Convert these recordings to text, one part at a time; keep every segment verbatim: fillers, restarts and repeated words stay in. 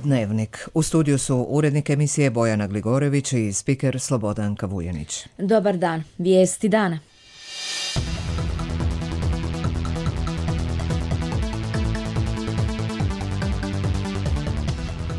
Dnevnik. U studiju su urednik emisije Bojana Gligorević i spiker Slobodanka Vujanić. Dobar dan. Vijesti dana.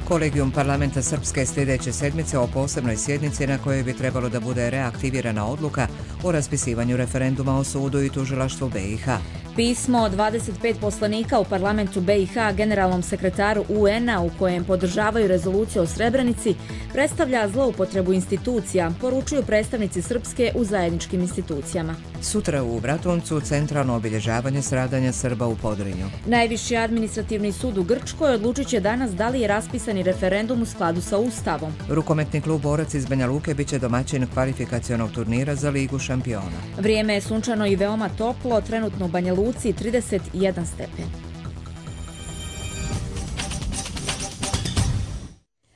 Kolegijum parlamenta Srpske sljedeće sedmice o posebnoj sjednici na kojoj bi trebalo da bude reaktivirana odluka o raspisivanju referenduma o sudu i tužilaštvu B i H. Pismo dvadeset pet poslanika u parlamentu B i H generalnom sekretaru U N-a u kojem podržavaju rezoluciju o Srebrenici predstavlja zloupotrebu institucija, poručuju predstavnici Srpske u zajedničkim institucijama. Sutra u Bratuncu centralno obilježavanje stradanja Srba u Podrinju. Najviši administrativni sud u Grčkoj odlučit će danas da li je raspisani referendum u skladu sa Ustavom. Rukometni klub Borac iz Banja Luke biće domaćin kvalifikacionog turnira za Ligu šampiona. Vrijeme je sunčano i veoma toplo, trenutno u Banja Luci trideset jedan stepen.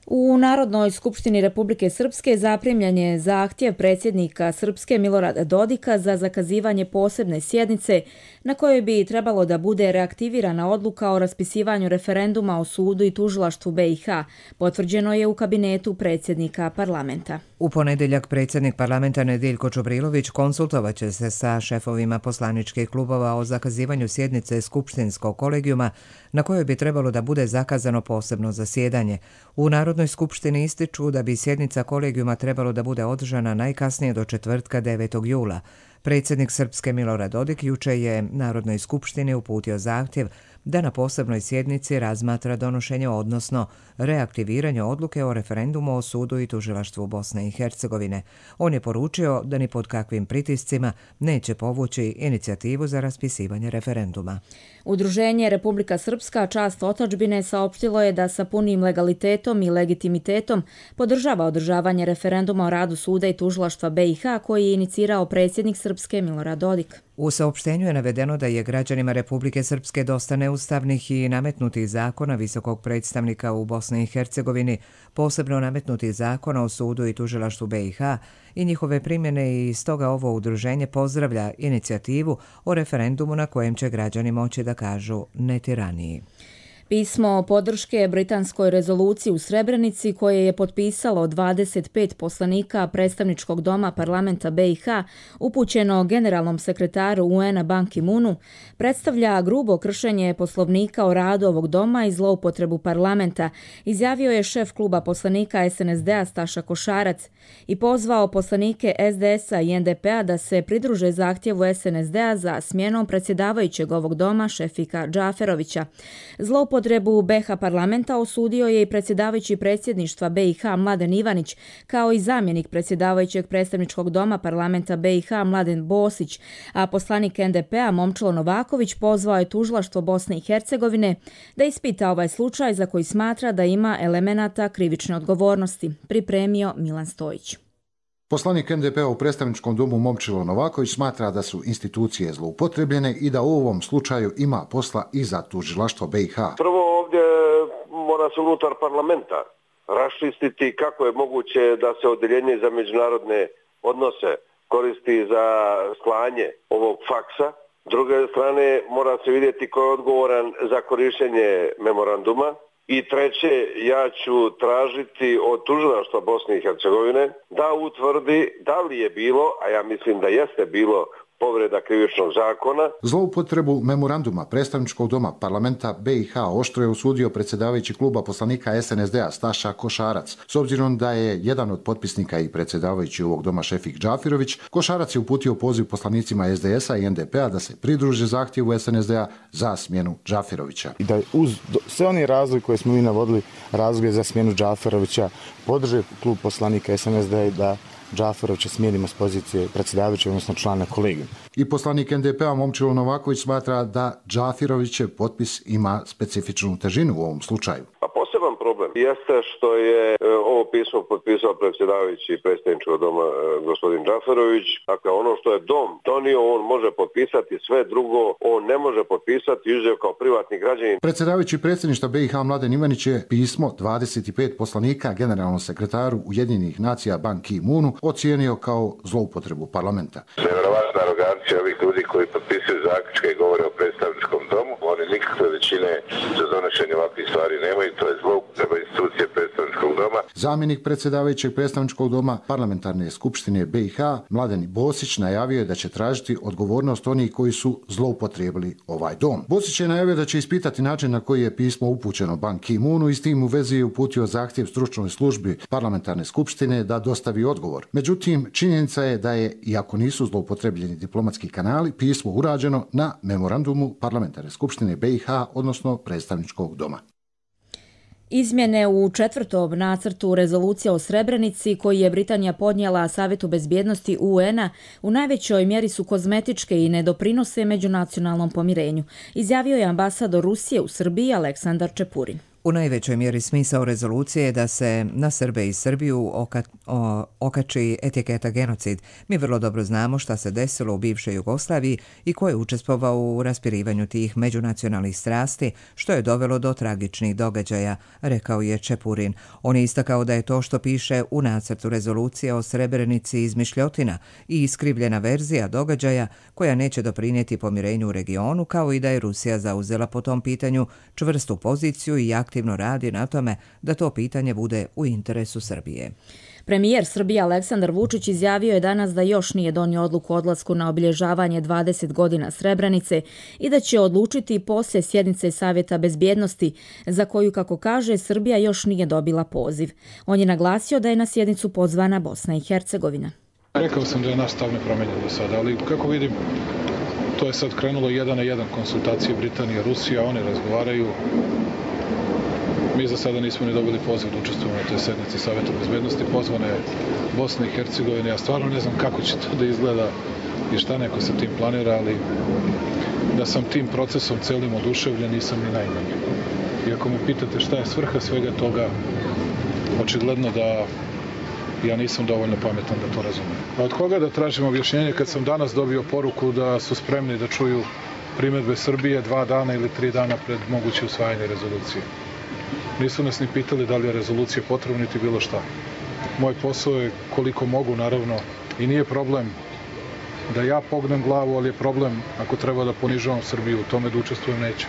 U Narodnoj skupštini Republike Srpske zaprimljen je zahtjev predsjednika Srpske Milorada Dodika za zakazivanje posebne sjednice na kojoj bi trebalo da bude reaktivirana odluka o raspisivanju referenduma o sudu i tužilaštvu B i H, potvrđeno je u kabinetu predsjednika parlamenta. U ponedjeljak predsjednik parlamenta Nediljko Čubrilović konsultovat će se sa šefovima poslaničkih klubova o zakazivanju sjednice skupštinskog kolegijuma na kojoj bi trebalo da bude zakazano posebno zasjedanje. U Narodnoj skupštini ističu da bi sjednica kolegijuma trebalo da bude održana najkasnije do četvrtka devetog jula. Predsjednik Srpske Milorad Dodik juče je Narodnoj skupštini uputio zahtjev da na posebnoj sjednici razmatra donošenje, odnosno reaktiviranje odluke o referendumu o sudu i tužilaštvu Bosne i Hercegovine. On je poručio da ni pod kakvim pritiscima neće povući inicijativu za raspisivanje referenduma. Udruženje Republika Srpska Čast otadžbine saopštilo je da sa punim legalitetom i legitimitetom podržava održavanje referenduma o radu suda i tužilaštva B i H koji je inicirao predsjednik Srpske Milorad Dodik. U saopštenju je navedeno da je građanima Republike Srpske dosta neustavnih i nametnutih zakona visokog predstavnika u Bosni i Hercegovini, posebno nametnutih zakona o sudu i tužilaštvu B i H i njihove primjene, i stoga ovo udruženje pozdravlja inicijativu o referendumu na kojem će građani moći da kažu ne tiraniji. Pismo podrške britanskoj rezoluciji u Srebrenici koje je potpisalo dvadeset pet poslanika predstavničkog doma parlamenta B i H upućeno generalnom sekretaru U N-a Ban Ki-moonu predstavlja grubo kršenje poslovnika o radu ovog doma i zloupotrebu parlamenta, izjavio je šef kluba poslanika S N S D-a Staša Košarac i pozvao poslanike S D S-a i N D P-a da se pridruže zahtjevu S N S D-a za smjenom predsjedavajućeg ovog doma Šefika Džaferovića. Zloupotrebu B H parlamenta osudio je i predsjedavajući predsjedništva B i H Mladen Ivanić, kao i zamjenik predsjedavajućeg predstavničkog doma parlamenta B i H Mladen Bosić, a poslanik N D P-a Momčilo Novaković pozvao je tužilaštvo Bosne i Hercegovine da ispita ovaj slučaj za koji smatra da ima elemenata krivične odgovornosti, pripremio Milan Stojić. Poslanik N D P-a u predstavničkom domu Momčilo Novaković smatra da su institucije zloupotrebljene i da u ovom slučaju ima posla i za tužilaštvo B i H. Prvo ovdje mora se unutar parlamenta raščistiti kako je moguće da se odeljenje za međunarodne odnose koristi za slanje ovog faksa. S druge strane mora se vidjeti ko je odgovoran za korištenje memoranduma. I treće, ja ću tražiti od tužilaštva Bosne i Hercegovine da utvrdi da li je bilo, a ja mislim da jeste bilo, povreda krivičnog zakona. Zloupotrebu memoranduma predstavničkog doma parlamenta B i H oštro je osudio predsjedavajući kluba poslanika S N S D-a Staša Košarac. S obzirom da je jedan od potpisnika i predsjedavajući ovog doma Šefik Džafirović, Košarac je uputio poziv poslanicima S D S-a i N D P-a da se pridruže zahtjevu S N S D-a za smjenu Džafirovića. I da uz sve oni razloge koje smo mi navodili, razloge za smjenu Džafirovića, podrže klub poslanika S N S D-a da Džaferovića smijenimo s pozicije predsjedavajućeg, odnosno člana kolegijuma. I poslanik N D P-a Momčilo Novaković smatra da Džafirovićev potpis ima specifičnu težinu u ovom slučaju. A poseban problem jeste što je ovo pismo potpisao predsjedavajući predsjedničkog doma gospodin Džaferović. Dakle, ono što je dom donio, on može potpisati, sve drugo on ne može potpisati, izuzev kao privatni građanin. Predsjedavajući predsjedništva B i H Mladen Ivanić je pismo dvadeset pet poslanika generalnom sekretaru Ujedinjenih nacija Ban Ki-moonu ocijenio kao zloupotrebu parlamenta. Nevjerovatna arogancija ovih ljudi koji potpisuju zaključke i govore o predstavničkom domu. Oni nikakve većine za donošenje ovakvih stvari nemaju, to je zloupotreba institucija Zamjenik predsjedavajućeg predstavničkog doma Parlamentarne skupštine B i H Mladen Bosić najavio je da će tražiti odgovornost onih koji su zloupotrijebili ovaj dom. Bosić je najavio da će ispitati način na koji je pismo upućeno Ban Ki-moonu i s tim u vezi je uputio zahtjev stručnoj službi Parlamentarne skupštine da dostavi odgovor. Međutim, činjenica je da je, iako nisu zloupotrebljeni diplomatski kanali, pismo urađeno na memorandumu Parlamentarne skupštine B i H, odnosno predstavničkog doma. Izmjene u četvrtom nacrtu rezolucije o Srebrenici koji je Britanija podnijela Savjetu bezbjednosti U N-a u najvećoj mjeri su kozmetičke i ne doprinose međunacionalnom pomirenju, izjavio je ambasador Rusije u Srbiji Aleksandar Čepurin. U najvećoj mjeri smisao rezolucije je da se na Srbe i Srbiju oka, o, okači etiketa genocid. Mi vrlo dobro znamo šta se desilo u bivšoj Jugoslaviji i ko je učestvovao u raspirivanju tih međunacionalnih strasti, što je dovelo do tragičnih događaja, rekao je Čepurin. On je istakao da je to što piše u nacrtu rezolucije o Srebrenici izmišljotina i iskrivljena verzija događaja koja neće doprinijeti pomirenju u regionu, kao i da je Rusija zauzela po tom pitanju čvrstu poziciju i aktivno aktivno radi na tome da to pitanje bude u interesu Srbije. Premijer Srbije Aleksandar Vučić izjavio je danas da još nije donio odluku o odlasku na obilježavanje dvadeset godina Srebrenice i da će odlučiti poslije sjednice Savjeta bezbjednosti, za koju, kako kaže, Srbija još nije dobila poziv. On je naglasio da je na sjednicu pozvana Bosna i Hercegovina. Rekao sam da je naš stav nepromenjen do sada, ali kako vidim, to je sad krenulo jedan na jedan konsultacije Britanije i Rusija, oni razgovaraju. Mi za sada nismo ni dobili poziv da učestvujemo na toj sednici Savjeta bezbjednosti. Pozvana je Bosna i Hercegovina. Ja stvarno ne znam kako će to da izgleda i šta neko sa tim planira, ali da sam tim procesom celim oduševljen nisam ni najmanje. I ako me pitate šta je svrha svega toga, očigledno da ja nisam dovoljno pametan da to razumem. A od koga da tražim objašnjenje kad sam danas dobio poruku da su spremni da čuju primedbe Srbije dva dana ili tri dana pred moguće usvajanje rezolucije? Nisu nas ni pitali da li je rezolucija potrebna niti bilo šta. Moj posao je koliko mogu, naravno, i nije problem da ja pognem glavu, ali je problem ako treba da ponižavam Srbiju, u tome da učestvujem neće.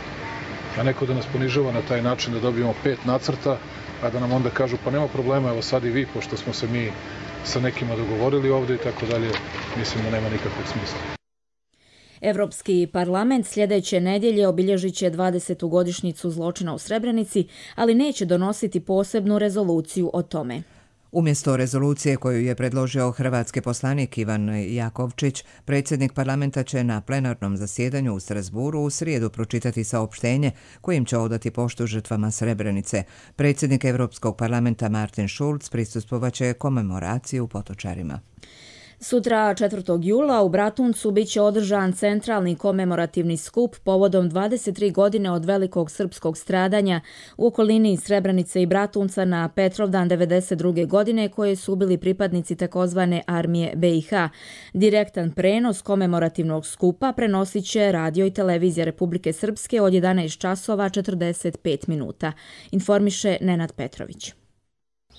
A neko da nas ponižava na taj način da dobijemo pet nacrta, a da nam onda kažu pa nema problema, evo sad i vi, pošto smo se mi sa nekima dogovorili ovde i tako dalje, mislim da nema nikakvog smisla. Evropski parlament sljedeće nedjelje obilježit će dvadesetu godišnjicu zločina u Srebrenici, ali neće donositi posebnu rezoluciju o tome. Umjesto rezolucije koju je predložio hrvatski poslanik Ivan Jakovčić, predsjednik parlamenta će na plenarnom zasjedanju u Strasburu u srijedu pročitati saopštenje kojim će odati poštu žrtvama Srebrenice. Predsjednik Europskog parlamenta Martin Schulz prisustvovaće komemoraciji u Potočarima. Sutra četvrtog jula u Bratuncu bit će održan centralni komemorativni skup povodom dvadeset tri godine od velikog srpskog stradanja u okolini Srebrenice i Bratunca na Petrovdan devedeset druge godine koje su ubili pripadnici takozvane armije B i H. Direktan prenos komemorativnog skupa prenosit će radio i televizija Republike Srpske od jedanaest časova četrdeset pet minuta. Informiše Nenad Petrović.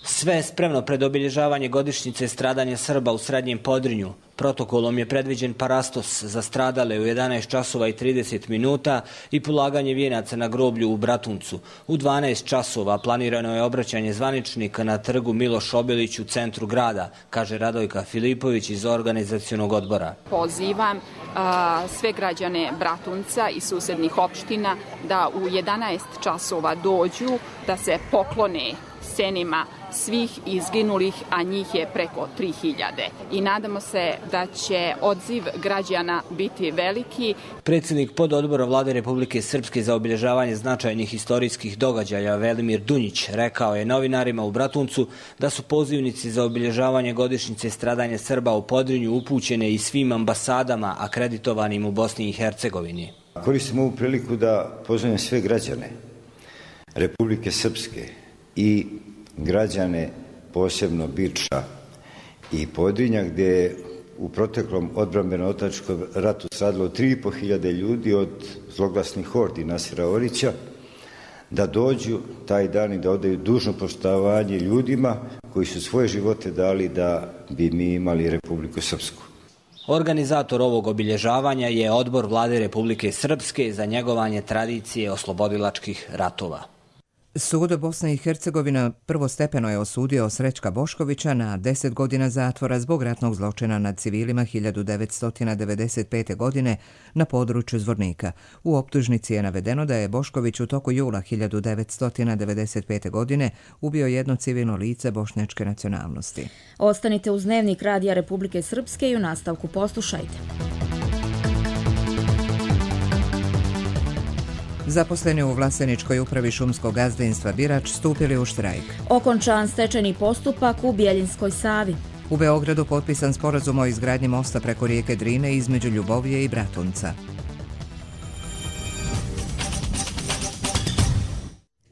Sve je spremno pred obilježavanje godišnjice stradanja Srba u Srednjem Podrinju. Protokolom je predviđen parastos za stradale u jedanaest časova i trideset minuta i polaganje vijenaca na groblju u Bratuncu. U dvanaest časova planirano je obraćanje zvaničnika na trgu Miloš Obilić u centru grada, kaže Radojka Filipović iz organizacionog odbora. Pozivam a, sve građane Bratunca i susednih opština da u jedanaest časova dođu, da se poklone senima svih izginulih, a njih je preko tri hiljade. I nadamo se da će odziv građana biti veliki. Predsjednik pododbora Vlade Republike Srpske za obilježavanje značajnih historijskih događaja Velimir Dunjić rekao je novinarima u Bratuncu da su pozivnici za obilježavanje godišnjice stradanja Srba u Podrinju upućene i svim ambasadama akreditovanim u Bosni i Hercegovini. Koristim ovu priliku da pozovem sve građane Republike Srpske i građane posebno Biča i Podrinja, gdje je u proteklom odbrambeno-otadžbinačkom ratu stradalo tri i po hiljade ljudi od zloglasnih hordi Nasera Orića, da dođu taj dan i da odaju dužno poštovanje ljudima koji su svoje živote dali da bi mi imali Republiku Srpsku. Organizator ovog obilježavanja je Odbor Vlade Republike Srpske za njegovanje tradicije oslobodilačkih ratova. Sud Bosne i Hercegovina prvostepeno je osudio Srećka Boškovića na deset godina zatvora zbog ratnog zločina nad civilima hiljadu devetsto devedeset pete. godine na području Zvornika. U optužnici je navedeno da je Bošković u toku jula hiljadu devetsto devedeset pete. godine ubio jedno civilno lice bošnjačke nacionalnosti. Ostanite uz Dnevnik Radija Republike Srpske i u nastavku poslušajte. Zaposleni u Vlaseničkoj upravi šumskog gazdinstva Birač stupili u štrajk. Okončan stečajni postupak u Bjeljinskoj Savi. U Beogradu potpisan sporazum o izgradnji mosta preko rijeke Drine između Ljubovije i Bratunca.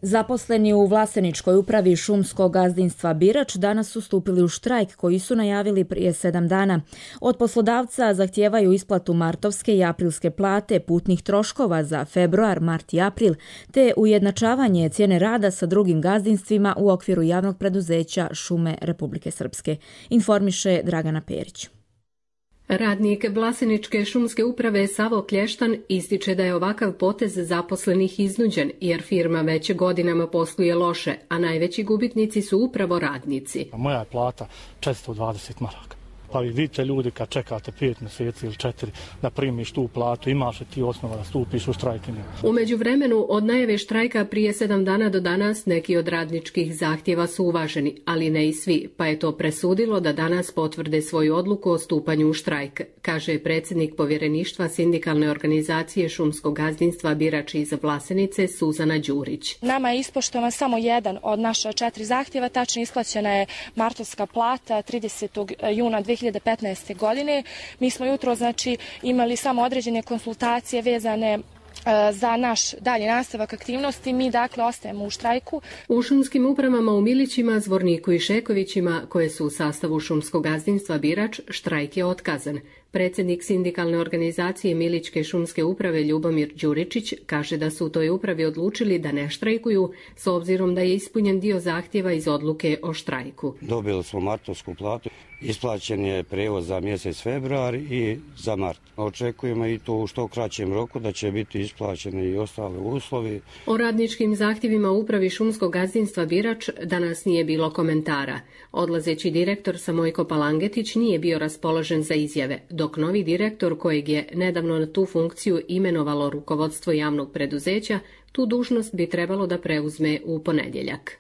Zaposleni u Vlaseničkoj upravi šumskog gazdinstva Birač danas su stupili u štrajk koji su najavili prije sedam dana. Od poslodavca zahtijevaju isplatu martovske i aprilske plate, putnih troškova za februar, mart i april, te ujednačavanje cijene rada sa drugim gazdinstvima u okviru javnog preduzeća Šume Republike Srpske, informiše Dragana Perić. Radnik Vlaseničke šumske uprave Savo Klještan ističe da je ovakav potez zaposlenih iznuđen jer firma već godinama posluje loše, a najveći gubitnici su upravo radnici. Moja je plata četiristo dvadeset maraka. Pa vi vidite ljudi kad čekate pet mjeseci ili četiri da primiš tu platu, imaš li ti osnova da stupiš u štrajk? U međuvremenu od najave štrajka prije sedam dana do danas neki od radničkih zahtjeva su uvaženi, ali ne i svi, pa je to presudilo da danas potvrde svoju odluku o stupanju u štrajk, kaže predsjednik povjereništva sindikalne organizacije šumskog gazdinstva Birač iz Vlasenice Suzana Đurić. Nama je ispoštovan samo jedan od naša četiri zahtjeva, tačno isplaćena je martovska plata tridesetog juna dve hiljade petnaeste. godine. Mi smo jutro znači imali samo određene konsultacije vezane za naš dalji nastavak aktivnosti. Mi dakle ostajemo u štrajku. U šumskim upravama u Milićima, Zvorniku i Šekovićima, koje su u sastavu šumskog gazdinstva Birač, štrajk je otkazan. Predsjednik sindikalne organizacije Milićke šumske uprave Ljubomir Đuričić kaže da su u toj upravi odlučili da ne štrajkuju s obzirom da je ispunjen dio zahtjeva iz odluke o štrajku. Dobili smo martovsku platu, isplaćen je prevoz za mjesec februar i za mart. Očekujemo i to u što kraćem roku da će biti isplaćeni i ostale uslovi. O radničkim zahtjevima u upravi šumskog gazdinstva Birač danas nije bilo komentara. Odlazeći direktor Samojko Palangetić nije bio raspoložen za izjave, dok novi direktor kojeg je nedavno na tu funkciju imenovalo rukovodstvo javnog preduzeća, tu dužnost bi trebalo da preuzme u ponedjeljak.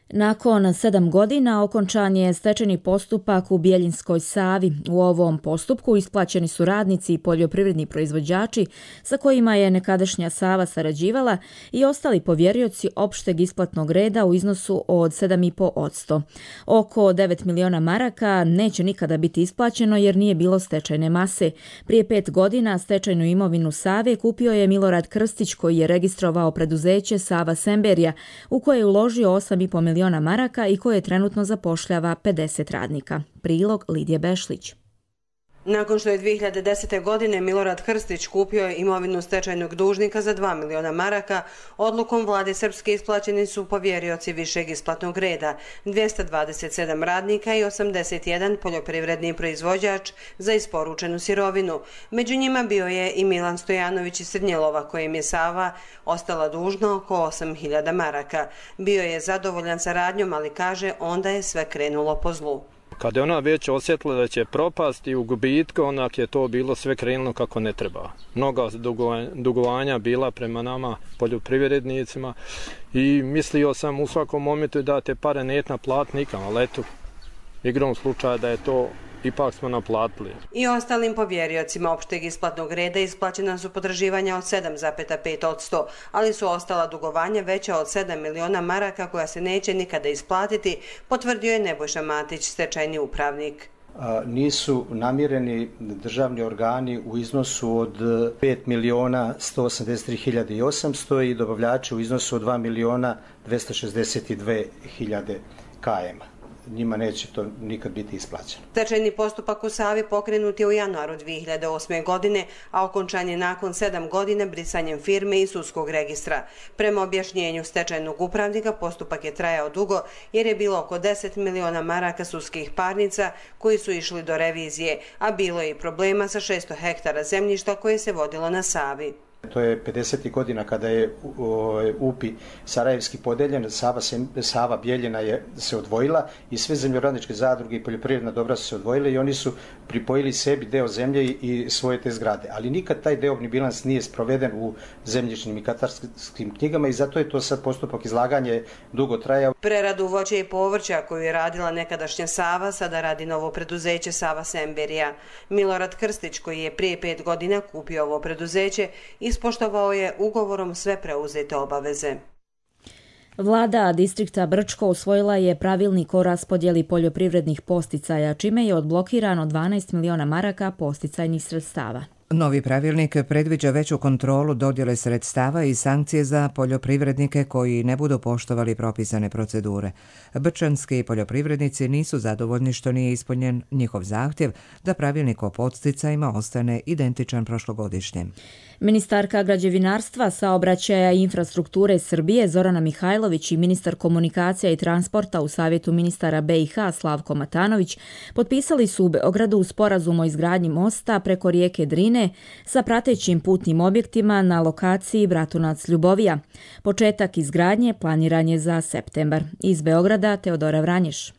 Nakon sedam godina okončan je stečajni postupak u Bjeljinskoj Savi. U ovom postupku isplaćeni su radnici i poljoprivredni proizvođači sa kojima je nekadašnja Sava sarađivala i ostali povjerioci opšteg isplatnog reda u iznosu od sedam zarez pet posto. Oko devet miliona maraka neće nikada biti isplaćeno jer nije bilo stečajne mase. Prije pet godina stečajnu imovinu Save kupio je Milorad Krstić koji je registrovao preduzeće Sava Semberija u koje je uložio osam zarez pet miliona maraka i koje trenutno zapošljava pedeset radnika. Prilog Lidije Bešlić. Nakon što je dvije hiljade desete. godine Milorad Krstić kupio imovinu stečajnog dužnika za dva miliona maraka, odlukom vlade Srpske isplaćeni su povjerioci višeg isplatnog reda, dvjesto dvadeset sedam radnika i osamdeset jedan poljoprivredni proizvođač za isporučenu sirovinu. Među njima bio je i Milan Stojanović iz Srednjelova, kojem je Sava ostala dužna oko osam hiljada maraka. Bio je zadovoljan sa radnjom, ali kaže onda je sve krenulo po zlu. Kad je ona već osjetila da će propasti u gubitku, onak je to bilo sve krenulo kako ne treba. Mnoga dugovanja bila prema nama poljoprivrednicima i mislio sam u svakom momentu da te pare neće naplatiti nikam, ali eto, igrom slučaja da je to ipak smo naplatili. I ostalim povjeriocima opšteg isplatnog reda isplaćena su potraživanja od sedam zarez pet posto, ali su ostala dugovanja veća od sedam miliona maraka koja se neće nikada isplatiti, potvrdio je Nebojša Matić, stečajni upravnik. Nisu namireni državni organi u iznosu od pet miliona sto osamdeset tri hiljade osamsto i dobavljači u iznosu od dva miliona dvjesto šezdeset dvije hiljade km. Njima neće to nikad biti isplaćeno. Stečajni postupak u Savi pokrenut je u januaru dvije hiljade osme. godine, a okončan je nakon sedam godina brisanjem firme i sudskog registra. Prema objašnjenju stečajnog upravnika, postupak je trajao dugo jer je bilo oko deset miliona maraka sudskih parnica koji su išli do revizije, a bilo je i problema sa šesto hektara zemljišta koje se vodilo na Savi. To je pedesetih godina kada je U P I sarajevski podeljen, Sava, Sava Bijeljina je se odvojila i sve zemljoradničke zadruge i poljoprivredna dobra su se odvojile i oni su pripojili sebi deo zemlje i svoje te zgrade. Ali nikad taj deobni bilans nije sproveden u zemljišnim i katastarskim knjigama i zato je to sad postupak izlaganja dugo trajao. Preradu voća i povrća koju je radila nekadašnja Sava, sada radi novo preduzeće Sava Semberija. Milorad Krstić, koji je prije pet godina kupio ovo preduzeće, ispoštovao je ugovorom sve preuzete obaveze. Vlada distrikta Brčko usvojila je pravilnik o raspodjeli poljoprivrednih posticaja, čime je odblokirano dvanaest miliona maraka posticajnih sredstava. Novi pravilnik predviđa veću kontrolu dodjele sredstava i sankcije za poljoprivrednike koji ne budu poštovali propisane procedure. Brčanski poljoprivrednici nisu zadovoljni što nije ispunjen njihov zahtjev da pravilnik o podsticajima ostane identičan prošlogodišnjem. Ministarka građevinarstva, saobraćaja i infrastrukture Srbije Zorana Mihajlović i ministar komunikacija i transporta u Savjetu ministara B i H Slavko Matanović potpisali su u Beogradu sporazum o izgradnji mosta preko rijeke Drine sa pratećim putnim objektima na lokaciji Bratunac-Ljubovija. Početak izgradnje planiran je za septembar. Iz Beograda Teodora Vranješ.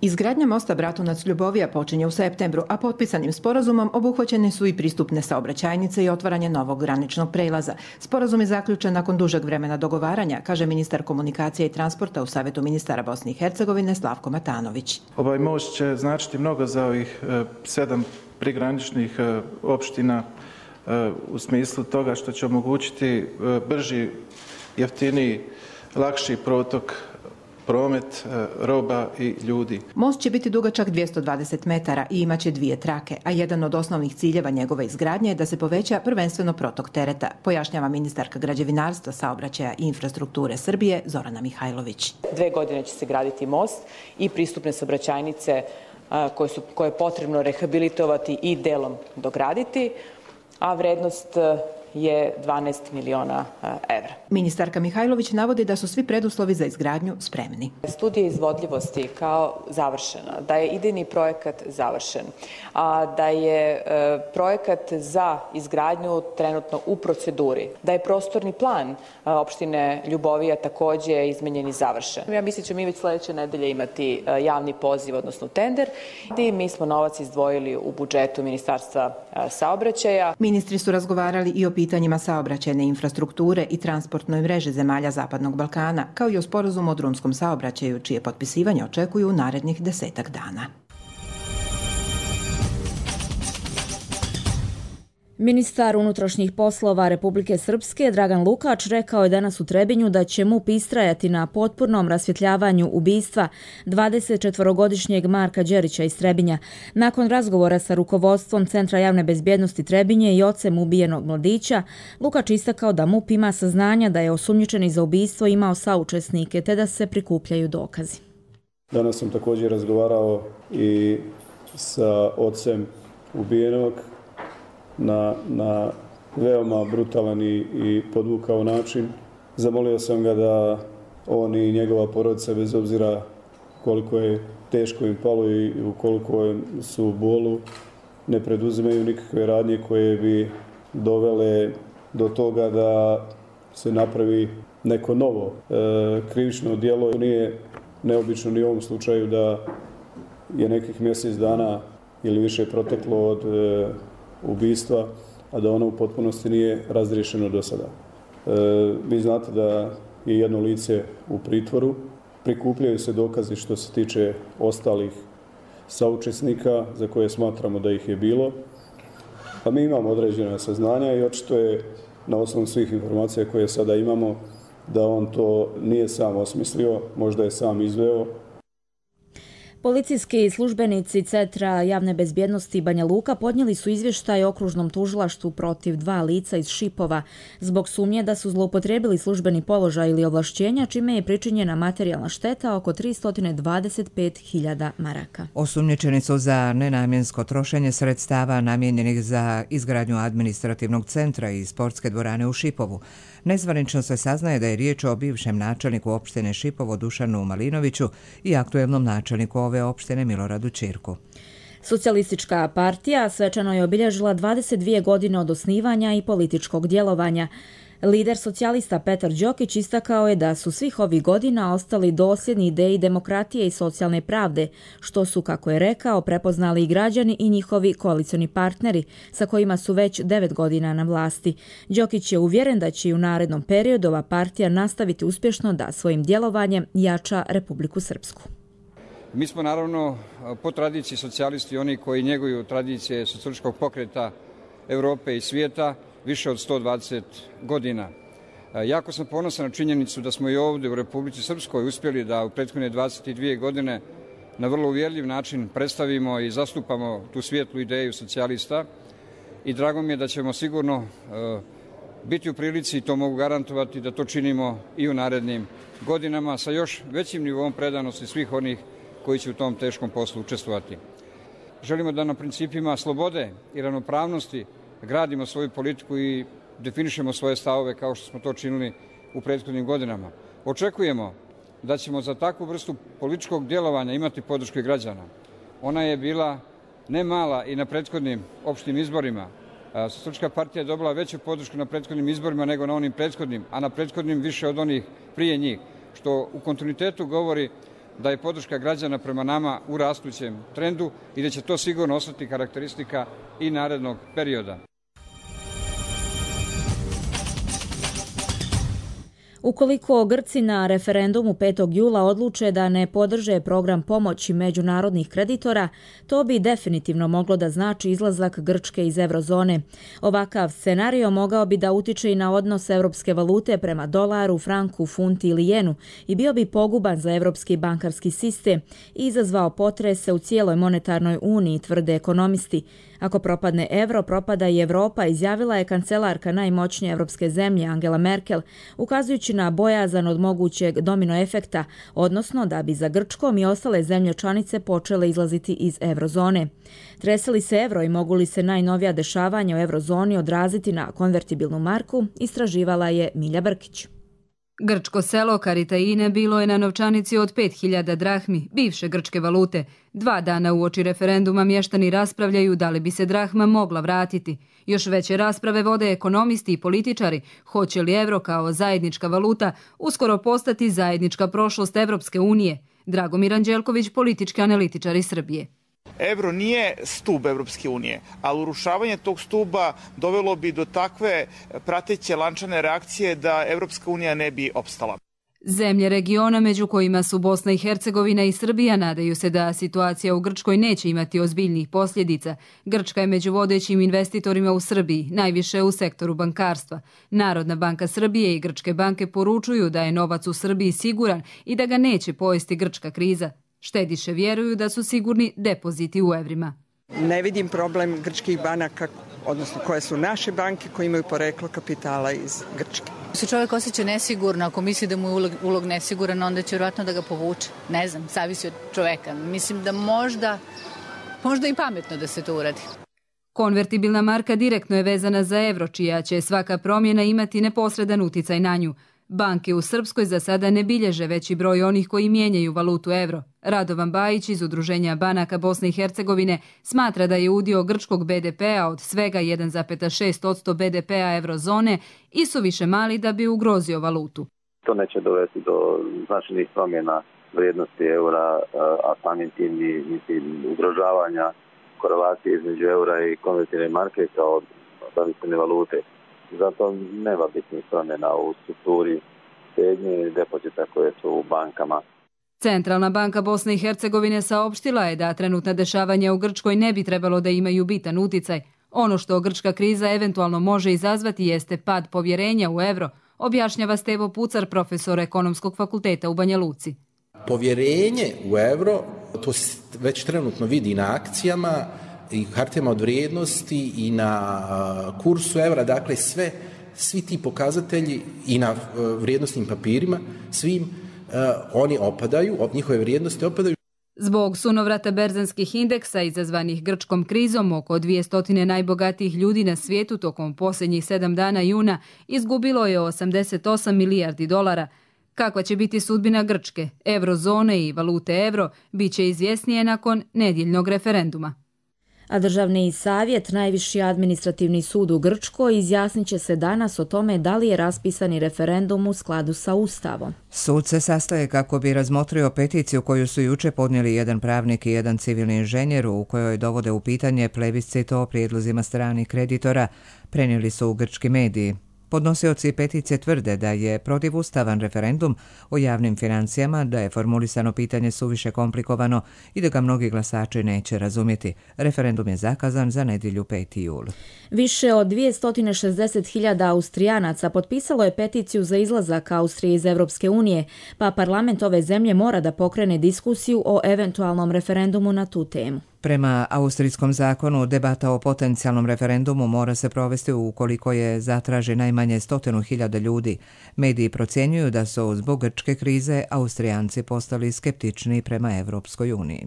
Izgradnja mosta Bratunac-Ljubovija počinje u septembru, a potpisanim sporazumom obuhvaćene su i pristupne saobraćajnice i otvaranje novog graničnog prelaza. Sporazum je zaključen nakon dužeg vremena dogovaranja, kaže ministar komunikacije i transporta u Savjetu ministara Bosne i Hercegovine Slavko Matanović. Ovaj most će značiti mnogo za ovih e, sedam prigraničnih e, opština e, u smislu toga što će omogućiti e, brži, jeftiniji, lakši protok promet, roba i ljudi. Most će biti dugačak dvjesto dvadeset metara i imaće dvije trake, a jedan od osnovnih ciljeva njegove izgradnje je da se poveća prvenstveno protok tereta, pojašnjava ministarka građevinarstva, saobraćaja i infrastrukture Srbije Zorana Mihajlović. Dve godine će se graditi most i pristupne saobraćajnice koje, su, koje je potrebno rehabilitovati i delom dograditi, a vrednost je dvanaest miliona evra. Ministarka Mihajlović navodi da su svi preduslovi za izgradnju spremni. Studija izvodljivosti kao završena, da je idejni projekat završen, a da je projekat za izgradnju trenutno u proceduri, da je prostorni plan opštine Ljubovija također izmenjen i završen. Ja mislim da ćemo mi već sljedeće nedelje imati javni poziv, odnosno tender, i mi smo novac izdvojili u budžetu Ministarstva saobraćaja. Ministri su razgovarali i o pitanjima saobraćajne infrastrukture i transportnoj mreži zemalja Zapadnog Balkana, kao i o sporazumu o drumskom saobraćaju, čije potpisivanje očekuju u narednih desetak dana. Ministar unutrašnjih poslova Republike Srpske Dragan Lukač rekao je danas u Trebinju da će M U P istrajati na potpunom rasvjetljavanju ubistva dvadesetčetvorogodišnjeg Marka Đerića iz Trebinja. Nakon razgovora sa rukovodstvom Centra javne bezbjednosti Trebinje i ocem ubijenog mladića, Lukač istakao da M U P ima saznanja da je osumnjičeni za ubistvo imao saučesnike te da se prikupljaju dokazi. Danas sam također razgovarao i sa ocem ubijenog na, na veoma brutalan i, i podvukao način. Zamolio sam ga da on i njegova porodica, bez obzira koliko je teško im palo i ukoliko su u bolu, ne preduzimaju nikakve radnje koje bi dovele do toga da se napravi neko novo e, krivično djelo. Nije neobično ni u ovom slučaju da je nekih mjesec dana ili više proteklo od e, ubistva, a da ono u potpunosti nije razriješeno do sada. E, vi znate da je jedno lice u pritvoru, prikupljaju se dokazi što se tiče ostalih saučesnika za koje smatramo da ih je bilo, a mi imamo određena saznanja i očito je na osnovu svih informacija koje sada imamo da on to nije sam osmislio, možda je sam izveo. Policijski službenici Centra javne bezbjednosti Banja Luka podnijeli su izvještaj okružnom tužilaštvu protiv dva lica iz Šipova zbog sumnje da su zloupotrijebili službeni položaj ili ovlašćenja, čime je pričinjena materijalna šteta oko tristo dvadeset pet hiljada maraka. Osumnjičeni su za nenamjensko trošenje sredstava namijenjenih za izgradnju administrativnog centra i sportske dvorane u Šipovu. Nezvanično se saznaje da je riječ o bivšem načelniku opštine Šipovo Dušanu Malinoviću i aktuelnom načelniku ove opštine Miloradu Čirku. Socijalistička partija svečano je obilježila dvadeset dvije godine od osnivanja i političkog djelovanja. Lider socijalista Petar Đokić istakao je da su svih ovih godina ostali dosljedni ideji demokratije i socijalne pravde, što su, kako je rekao, prepoznali i građani i njihovi koalicioni partneri, sa kojima su već devet godina na vlasti. Đokić je uvjeren da će i u narednom periodu ova partija nastaviti uspješno da svojim djelovanjem jača Republiku Srpsku. Mi smo naravno po tradiciji socijalisti oni koji njeguju tradicije socijalističkog pokreta Europe i svijeta više od sto dvadeset godina. Jako sam ponosan na činjenicu da smo i ovdje u Republici Srpskoj uspjeli da u prethodne dvadeset dvije godine na vrlo uvjerljiv način predstavimo i zastupamo tu svijetlu ideju socijalista i drago mi je da ćemo sigurno biti u prilici, i to mogu garantovati, da to činimo i u narednim godinama sa još većim nivom predanosti svih onih koji će u tom teškom poslu učestvovati. Želimo da na principima slobode i ravnopravnosti gradimo svoju politiku i definišemo svoje stavove kao što smo to činili u prethodnim godinama. Očekujemo da ćemo za takvu vrstu političkog djelovanja imati podršku građana. Ona je bila ne mala i na prethodnim opštim izborima. Socijalistička partija je dobila veću podršku na prethodnim izborima nego na onim prethodnim, a na prethodnim više od onih prije njih, što u kontinuitetu govori da je podrška građana prema nama u rastućem trendu i da će to sigurno ostati karakteristika i narednog perioda. Ukoliko Grci na referendumu petog jula odluče da ne podrže program pomoći međunarodnih kreditora, to bi definitivno moglo da znači izlazak Grčke iz eurozone. Ovakav scenario mogao bi da utiče i na odnos evropske valute prema dolaru, franku, funti ili jenu i bio bi poguban za evropski bankarski sistem i izazvao potrese u cijeloj monetarnoj uniji, tvrde ekonomisti. Ako propadne evro, propada i Evropa, izjavila je kancelarka najmoćnije evropske zemlje Angela Merkel, ukazujući na bojazan od mogućeg domino efekta, odnosno da bi za Grčkom i ostale zemlje članice počele izlaziti iz eurozone. Trese li se evro i mogu li se najnovija dešavanja u eurozoni odraziti na konvertibilnu marku, istraživala je Milja Brkić. Grčko selo Karitaine bilo je na novčanici od pet hiljada drahmi, bivše grčke valute. Dva dana uoči referenduma mještani raspravljaju da li bi se drahma mogla vratiti. Još veće rasprave vode ekonomisti i političari. Hoće li evro kao zajednička valuta uskoro postati zajednička prošlost Evropske unije? Dragomir Anđelković, politički analitičar iz Srbije. Evro nije stub Evropske unije, ali urušavanje tog stuba dovelo bi do takve prateće lančane reakcije da Evropska unija ne bi opstala. Zemlje regiona, među kojima su Bosna i Hercegovina i Srbija, nadaju se da situacija u Grčkoj neće imati ozbiljnih posljedica. Grčka je među vodećim investitorima u Srbiji, najviše u sektoru bankarstva. Narodna banka Srbije i grčke banke poručuju da je novac u Srbiji siguran i da ga neće pojesti grčka kriza. Štediše vjeruju da su sigurni depoziti u evrima. Ne vidim problem grčkih banaka, odnosno koje su naše banke koje imaju poreklo kapitala iz Grčke. Ako se čovjek osjeća nesigurno, ako misli da mu je ulog, ulog nesiguran, onda će vjerojatno da ga povuče. Ne znam, zavisi od čovjeka. Mislim da možda, možda i pametno da se to uradi. Konvertibilna marka direktno je vezana za evro, čija će svaka promjena imati neposredan uticaj na nju. Banke u Srpskoj za sada ne bilježe veći broj onih koji mijenjaju valutu evro. Radovan Bajić iz Udruženja banaka Bosne i Hercegovine smatra da je udio grčkog be de pea od svega jedan zarez šest posto be de pea eurozone isuviše mali da bi ugrozio valutu. To neće dovesti do značajnih promjena vrijednosti eura, a samim tim i ugrožavanja korelacije između eura i konvertibilne marke kao zavisne valute. Zato nema bitnih promjena u strukturi štednje i depozita koje su u bankama. Centralna banka Bosne i Hercegovine saopštila je da trenutna dešavanja u Grčkoj ne bi trebalo da imaju bitan uticaj. Ono što grčka kriza eventualno može izazvati jeste pad povjerenja u evro, objašnjava Stevo Pucar, profesor Ekonomskog fakulteta u Banja Luci. Povjerenje u evro, to se već trenutno vidi na akcijama i hartijama od vrijednosti i na kursu evra, dakle sve, svi ti pokazatelji i na vrijednosnim papirima, svim oni opadaju, njihove vrijednosti opadaju. Zbog sunovrata berzanskih indeksa izazvanih grčkom krizom, oko dvjesto najbogatijih ljudi na svijetu tokom posljednjih sedam dana juna izgubilo je osamdeset osam milijardi dolara. Kakva će biti sudbina Grčke, eurozone i valute euro, bit će izvjesnije nakon nedjeljnog referenduma. A Državni savjet, najviši administrativni sud u Grčkoj, izjasnit će se danas o tome da li je raspisani referendum u skladu sa Ustavom. Sud se sastaje kako bi razmotrio peticiju koju su juče podnijeli jedan pravnik i jedan civilni inženjer u kojoj dovode u pitanje plebiscit o prijedlozima stranih kreditora, prenijeli su u grčki mediji. Podnosioci peticije tvrde da je protivustavan referendum o javnim financijama, da je formulisano pitanje suviše komplikovano i da ga mnogi glasači neće razumjeti. Referendum je zakazan za nedjelju peti jul. Više od dvjesto šezdeset hiljada Austrijanaca potpisalo je peticiju za izlazak Austrije iz Europske unije, pa parlament ove zemlje mora da pokrene diskusiju o eventualnom referendumu na tu temu. Prema austrijskom zakonu, debata o potencijalnom referendumu mora se provesti ukoliko je zatraži najmanje stotinu hiljada ljudi. Mediji procjenjuju da su zbog grčke krize Austrijanci postali skeptični prema Evropskoj uniji.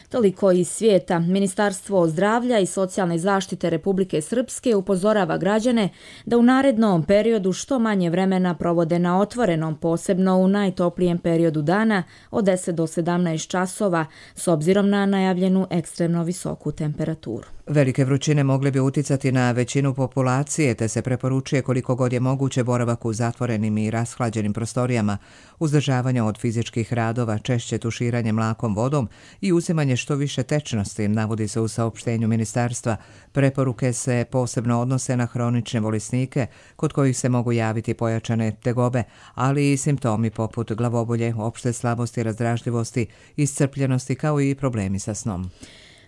Toliko iz svijeta. Ministarstvo zdravlja i socijalne zaštite Republike Srpske upozorava građane da u narednom periodu što manje vremena provode na otvorenom, posebno u najtoplijem periodu dana od deset do sedamnaest časova, s obzirom na najavljenu ekstremno visoku temperaturu. Velike vrućine mogle bi uticati na većinu populacije, te se preporučuje koliko god je moguće boravak u zatvorenim i rashlađenim prostorijama, uzdržavanje od fizičkih radova, češće tuširanje mlakom vodom i uzimanje što više tečnosti, navodi se u saopštenju ministarstva. Preporuke se posebno odnose na hronične bolesnike, kod kojih se mogu javiti pojačane tegobe, ali i simptomi poput glavobolje, opšte slabosti, razdražljivosti, iscrpljenosti kao i problemi sa snom.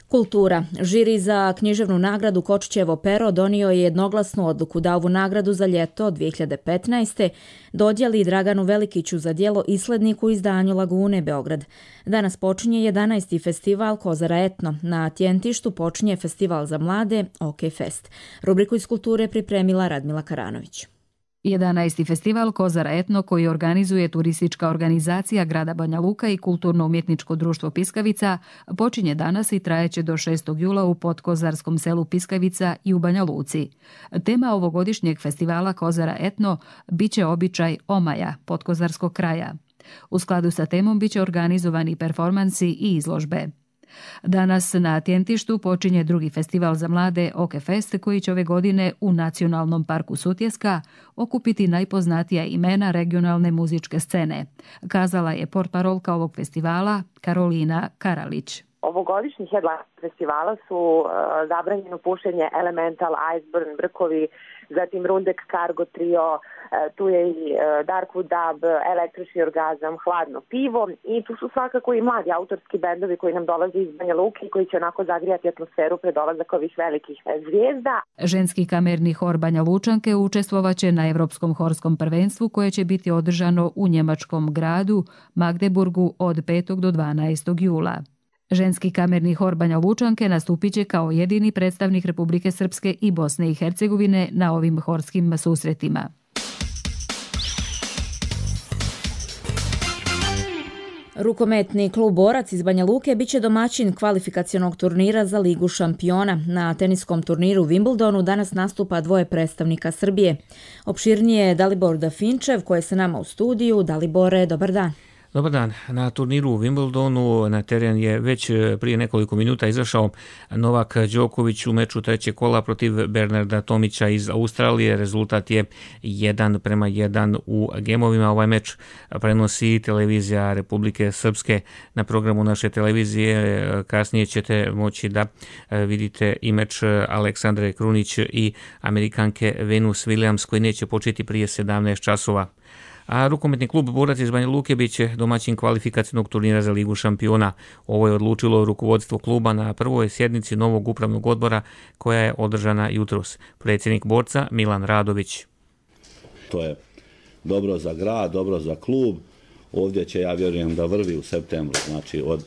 Kultura. Žiri za književnu nagradu Kočićevo pero donio je jednoglasnu odluku da ovu nagradu za ljeto dvije hiljade petnaeste. dodijeli Draganu Velikiću za djelo Islednik u izdanju Lagune Beograd. Danas počinje jedanaesti festival Kozara Etno. Na Tjentištu počinje festival za mlade OK Fest. Rubriku iz kulture pripremila Radmila Karanović. jedanaesti festival Kozara Etno, koji organizuje turistička organizacija grada Banja Luka i kulturno-umjetničko društvo Piskavica, počinje danas i trajeće do šestog jula u podkozarskom selu Piskavica i u Banja Luci. Tema ovogodišnjeg festivala Kozara Etno biće običaj omaja, podkozarskog kraja. U skladu sa temom biće organizovani performansi i izložbe. Danas na Tjentištu počinje drugi festival za mlade OK Fest, koji će ove godine u Nacionalnom parku Sutjeska okupiti najpoznatija imena regionalne muzičke scene, kazala je portparolka ovog festivala Karolina Karalić. Ovogodišnji headline festivala su uh, zabranjeno pušenje Elemental, Iceburn, Brkovi, zatim Rundek Cargo Trio, uh, tu je i uh, Darkwood Dub, Električni orgazam, Hladno pivo i tu su svakako i mladi autorski bendovi koji nam dolaze iz Banja Luke i koji će onako zagrijati atmosferu pred dolazak ovih velikih zvijezda. Ženski kamerni hor Banja Lučanke učestvovaće na Evropskom horskom prvenstvu koje će biti održano u njemačkom gradu Magdeburgu od petog do dvanaestog jula. Ženski kamerni hor Banja Lučanke nastupit će kao jedini predstavnik Republike Srpske i Bosne i Hercegovine na ovim horskim susretima. Rukometni klub Borac iz Banja Luke biće domaćin kvalifikacionog turnira za Ligu šampiona. Na teniskom turniru u Wimbledonu danas nastupa dvoje predstavnika Srbije. Opširnije je Dalibor Dafinčev, koji je sa nama u studiju. Dalibore, dobar dan. Dobar dan. Na turniru u Wimbledonu na teren je već prije nekoliko minuta izašao Novak Đoković u meču trećeg kola protiv Bernarda Tomića iz Australije. Rezultat je jedan prema jedan u gemovima. Ovaj meč prenosi televizija Republike Srpske na programu naše televizije. Kasnije ćete moći da vidite i meč Aleksandre Krunić i Amerikanke Venus Williams, koji neće početi prije sedamnaest časova. A rukometni klub Borac iz Banja Luke biće domaćin kvalifikacijnog turnira za Ligu šampiona. Ovo je odlučilo rukovodstvo kluba na prvoj sjednici novog upravnog odbora koja je održana jutros. Predsjednik Borca Milan Radović. To je dobro za grad, dobro za klub. Ovdje će, ja vjerujem, da vrvi u septembru, znači od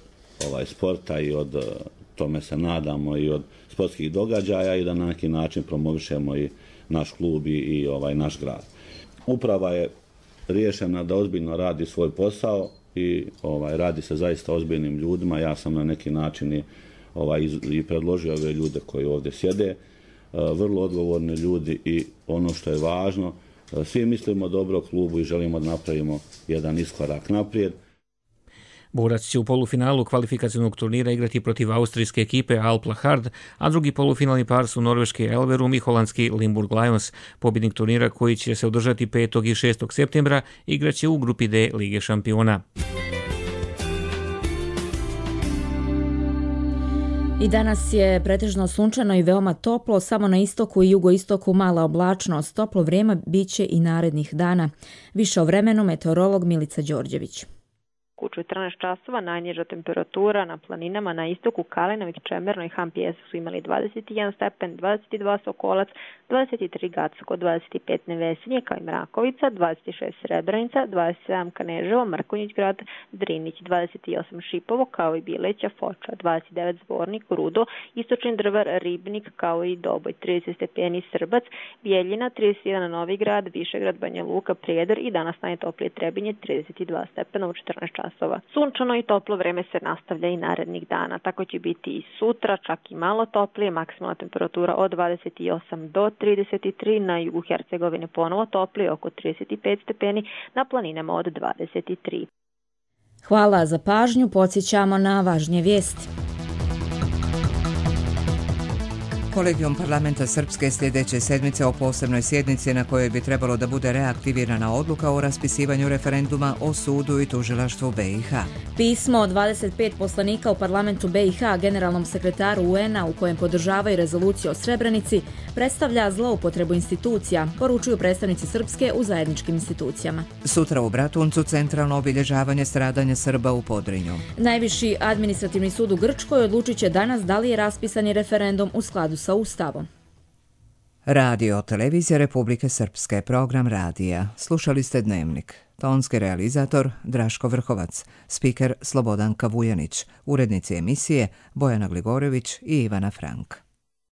ovaj sporta i od, tome se nadamo, i od sportskih događaja, i da na neki način promovišemo i naš klub i, i ovaj naš grad. Uprava je riješena da ozbiljno radi svoj posao i ovaj radi se zaista ozbiljnim ljudima. Ja sam na neki način i, ovaj, i predložio ove ljude koji ovdje sjede, vrlo odgovorni ljudi, i ono što je važno, svi mislimo dobro klubu i želimo da napravimo jedan iskorak naprijed. Borac će u polufinalu kvalifikacionog turnira igrati protiv austrijske ekipe Alpla Hard, a drugi polufinalni par su norveški Elverum i holandski Limburg Lions. Pobjednik turnira, koji će se održati petog i šestog septembra, igraće u grupi D Lige šampiona. I danas je pretežno sunčano i veoma toplo, samo na istoku i jugoistoku mala oblačnost. Toplo vrijeme biće i narednih dana. Više o vremenu meteorolog Milica Đorđević. U četrnaest časova najniža temperatura na planinama na istoku Kalinović, Čemerno i Hampijesu su imali dvadeset jedan stepen, dvadeset dva Sokolac, dvadeset tri Gacko, dvadeset pet Nevesinje kao i Mrakovica, dvadeset šest Srebrenica, dvadeset sedam Kaneževo, Mrkonjić grad, Drinić, dvadeset osam Šipovo kao i Bileća, Foča, dvadeset devet Zvornik, Rudo, Istočni Drvar, Ribnik kao i Doboj, trideset stepeni Srbac, Bijeljina, trideset jedan Novigrad, Višegrad, Banja Luka, Prijedor i danas najtoplije Trebinje, trideset dva stepena u četrnaest časova. Sunčano i toplo vreme se nastavlja i narednih dana. Tako će biti i sutra, čak i malo toplije, maksimalna temperatura od dvadeset osam do trideset tri, na jugu Hercegovine ponovo toplije, oko trideset pet stepeni, na planinama od dvadeset tri. Hvala za pažnju, podsjećamo na važnije vijesti. Kolegijum parlamenta Srpske sljedeće sedmice o posebnoj sjednici na kojoj bi trebalo da bude reaktivirana odluka o raspisivanju referenduma o sudu i tužilaštvu B i H. Pismo od dvadeset pet poslanika u parlamentu B i H generalnom sekretaru U N-a u kojem podržavaju rezoluciju o Srebrenici predstavlja zloupotrebu institucija, poručuju predstavnici Srpske u zajedničkim institucijama. Sutra u Bratuncu centralno obilježavanje stradanja Srba u Podrinju. Najviši administrativni sud u Grčkoj odlučit će danas da li je raspisani referendum u skladu sa Ustavom. Radio Televizija Republike Srpske, program radija. Slušali ste Dnevnik. Tonski realizator Draško Vrhovac, spiker Slobodanka Vujanić, urednici emisije Bojana Gligorević i Ivana Frank.